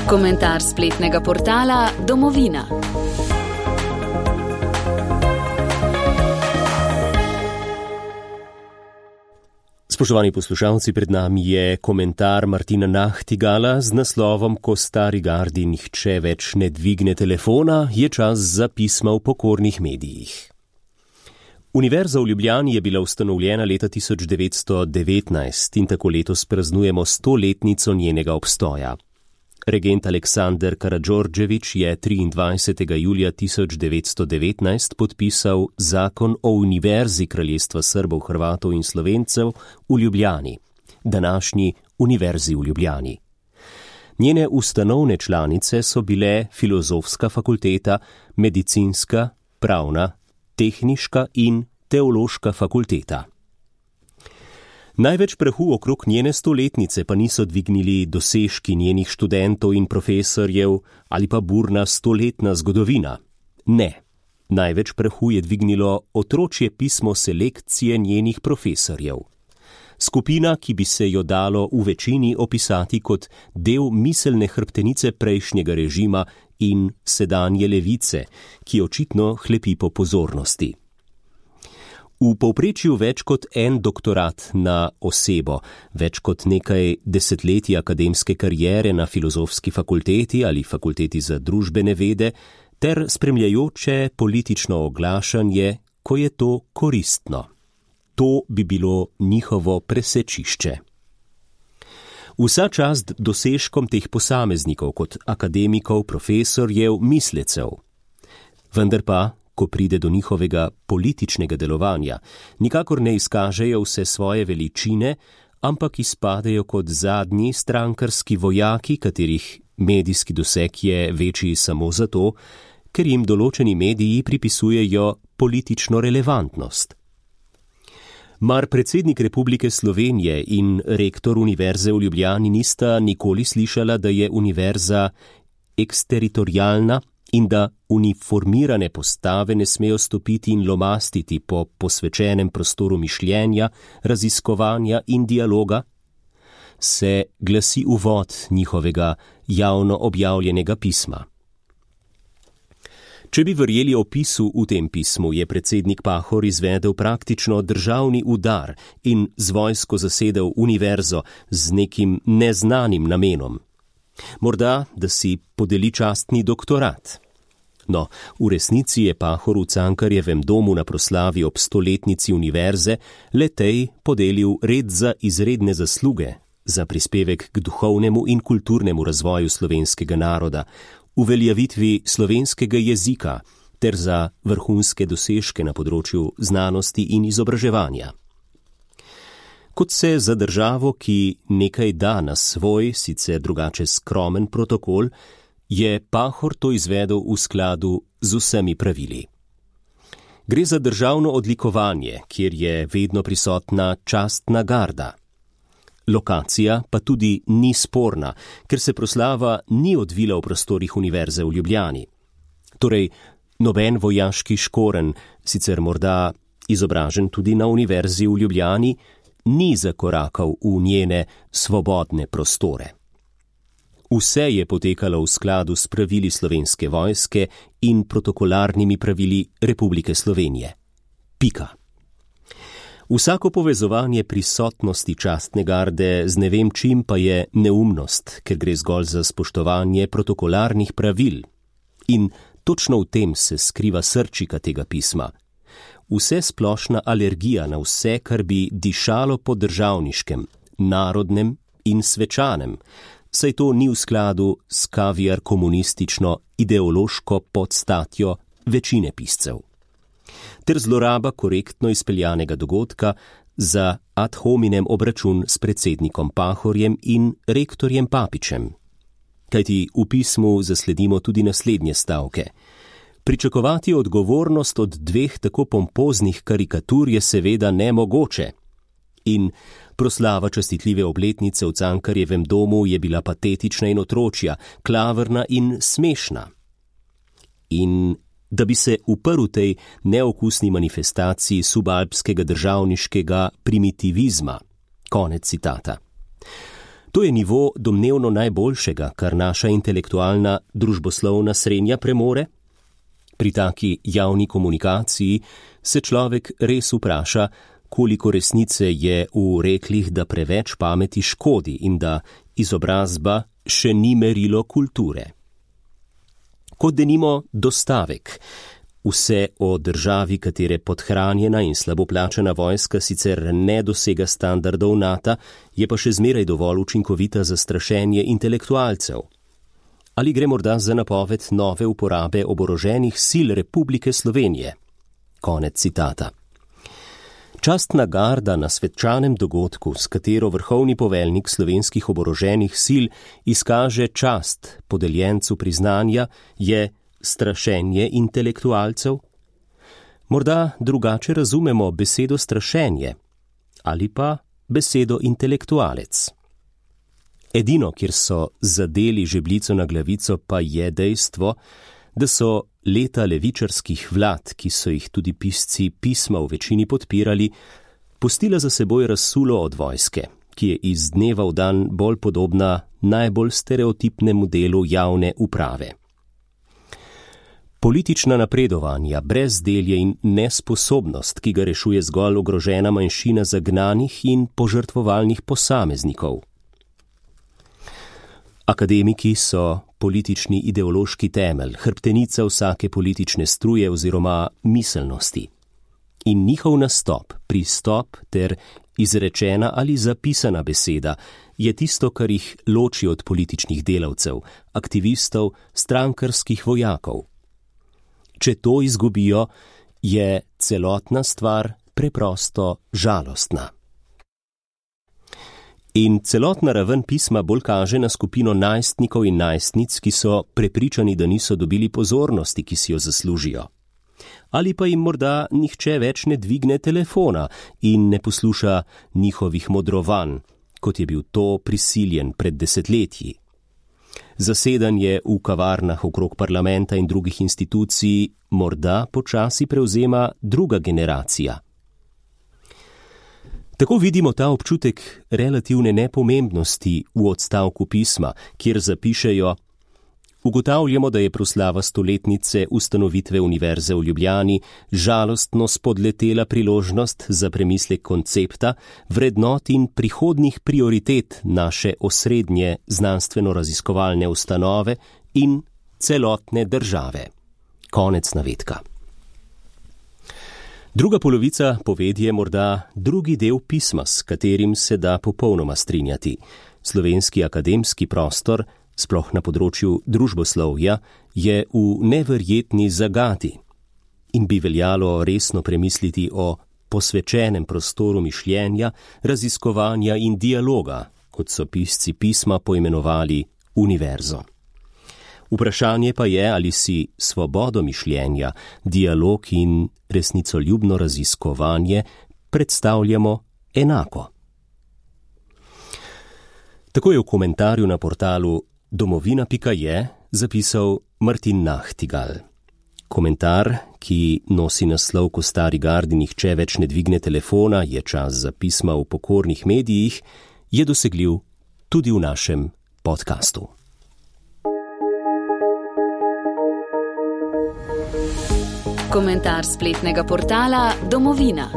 Komentar spletnega portala Domovina. Spoštovani poslušalci, pred nami je komentar Martina Nahtigala z naslovom Ko stari gardi nihče več ne dvigne telefona, je čas za pisma v pokornih medijih. Univerza v Ljubljani je bila ustanovljena leta 1919 in tako letos praznujemo 100-letnico njenega obstoja. Regent Aleksander Karadžordžević je 23. julija 1919 podpisal Zakon o Univerzi Kraljestva Srbov, Hrvatov in Slovencev v Ljubljani, današnji Univerzi v Ljubljani. Njene ustanovne članice so bile Filozofska fakulteta, Medicinska, Pravna, Tehniška in Teološka fakulteta. Največ prahu okrog njene 100-letnice pa niso dvignili dosežki njenih študentov in profesorjev ali pa burna 100-letna zgodovina. Ne, največ prahu je dvignilo otročje pismo selekcije njenih profesorjev. Skupina, ki bi se jo dalo v večini opisati kot del miselne hrbtenice prejšnjega režima in sedanje levice, ki očitno hlepi po pozornosti. V povprečju več kot en doktorat na osebo, več kot nekaj desetletij akademske kariere na Filozofski fakulteti ali Fakulteti za družbene vede ter spremljajoče politično oglašanje, ko je to koristno. To bi bilo njihovo presečišče. Vsa čast dosežkom teh posameznikov kot akademikov, profesorjev, mislecev. Vendar pa, ko pride do njihovega političnega delovanja, nikakor ne izkažejo vse svoje veličine, ampak izpadejo kot zadnji strankarski vojaki, katerih medijski doseg je večji samo zato, ker jim določeni mediji pripisujejo politično relevantnost. Mar predsednik Republike Slovenije in rektor Univerze v Ljubljani nista nikoli slišala, da je univerza eksteritorialna in da uniformirane postave ne smejo stopiti in lomastiti po posvečenem prostoru mišljenja, raziskovanja in dialoga? Se glasi uvod njihovega javno objavljenega pisma. Če bi verjeli opisu v tem pismu, je predsednik Pahor izvedel praktično državni udar in z vojsko zasedel univerzo z nekim neznanim namenom. Morda, da si podeli častni doktorat. No, v resnici je Pahor v Cankarjevem domu na proslavi ob 100-letnici univerze le-tej podelil red za izredne zasluge, za prispevek k duhovnemu in kulturnemu razvoju slovenskega naroda, uveljavitvi slovenskega jezika ter za vrhunske dosežke na področju znanosti in izobraževanja. Kot se za državo, ki nekaj da na svoj, sicer drugače skromen protokol, je Pahor to izvedel v skladu z vsemi pravili. Gre za državno odlikovanje, kjer je vedno prisotna častna garda. Lokacija pa tudi ni sporna, ker se proslava ni odvila v prostorih Univerze v Ljubljani. Torej, noben vojaški škoren, sicer morda izobražen tudi na Univerzi v Ljubljani, ni zakorakal v njene svobodne prostore. Vse je potekalo v skladu s pravili Slovenske vojske in protokolarnimi pravili Republike Slovenije. Pika. Vsako povezovanje prisotnosti častne garde z ne vem čim pa je neumnost, ker gre zgolj za spoštovanje protokolarnih pravil. In točno v tem se skriva srčika tega pisma. Vse splošna alergija na vse, kar bi dišalo po državniškem, narodnem in svečanem, saj to ni v skladu s kaviar komunistično ideološko podstatjo večine piscev. Ter zloraba korektno izpeljanega dogodka za ad hominem obračun s predsednikom Pahorjem in rektorjem Papičem. Kajti v pismu zasledimo tudi naslednje stavke. Pričakovati odgovornost od dveh tako pompoznih karikatur je seveda nemogoče. In proslava častitljive obletnice v Cankarjevem domu je bila patetična in otročja, klavrna in smešna. In da bi se uprl tej neokusni manifestaciji subalpskega državniškega primitivizma. Konec citata. To je nivo domnevno najboljšega, kar naša intelektualna družboslovna srenja premore. Pri taki javni komunikaciji se človek res vpraša, koliko resnice je v reklih, da preveč pameti škodi in da izobrazba še ni merilo kulture. Kot denimo dostavek. Vse o državi, katere podhranjena in slabo plačana vojska sicer ne dosega standardov NATO, je pa še zmeraj dovolj učinkovita za strašenje intelektualcev. Ali gre morda za napoved nove uporabe oboroženih sil Republike Slovenije? Konec citata. Častna garda na svečanem dogodku, s katero vrhovni poveljnik slovenskih oboroženih sil izkaže čast podeljencu priznanja, je strašenje intelektualcev? Morda drugače razumemo besedo strašenje ali pa besedo intelektualec. Edino, kjer so zadeli žebljico na glavico, pa je dejstvo, da so leta levičarskih vlad, ki so jih tudi pisci pisma v večini podpirali, pustila za seboj razsulo od vojske, ki je iz dneva v dan bolj podobna najbolj stereotipnemu delu javne uprave. Politična napredovanja, brezdelje in nesposobnost, ki ga rešuje zgolj ogrožena manjšina zagnanih in požrtvovalnih posameznikov. Akademiki so politični ideološki temelj, hrbtenica vsake politične struje oziroma miselnosti. In njihov nastop, pristop ter izrečena ali zapisana beseda je tisto, kar jih loči od političnih delavcev, aktivistov, strankarskih vojakov. Če to izgubijo, je celotna stvar preprosto žalostna. In celotna raven pisma bolj kaže na skupino najstnikov in najstnic, ki so prepričani, da niso dobili pozornosti, ki si jo zaslužijo. Ali pa jim morda nihče več ne dvigne telefona in ne posluša njihovih modrovanj, kot je bil to prisiljen pred desetletji. Zasedanje v kavarnah okrog parlamenta in drugih institucij morda počasi prevzema druga generacija. Tako vidimo ta občutek relativne nepomembnosti v odstavku pisma, kjer zapišejo: ugotavljamo, da je proslava stoletnice ustanovitve Univerze v Ljubljani žalostno spodletela priložnost za premislek koncepta, vrednot in prihodnjih prioritet naše osrednje znanstveno-raziskovalne ustanove in celotne države. Konec navedka. Druga polovica povedi je morda drugi del pisma, s katerim se da popolnoma strinjati. Slovenski akademski prostor, sploh na področju družboslovja, je v neverjetni zagati in bi veljalo resno premisliti o posvečenem prostoru mišljenja, raziskovanja in dialoga, kot so pisci pisma poimenovali univerzo. Vprašanje pa je, ali si svobodo mišljenja, dialog in resnicoljubno raziskovanje predstavljamo enako. Tako je v komentarju na portalu domovina.je zapisal Martin Nachtigal. Komentar, ki nosi naslov Ko stari gardi nihče več ne dvigne telefona, je čas za pisma v pokornih medijih, je dosegljiv tudi v našem podkastu. Komentar spletnega portala Domovina.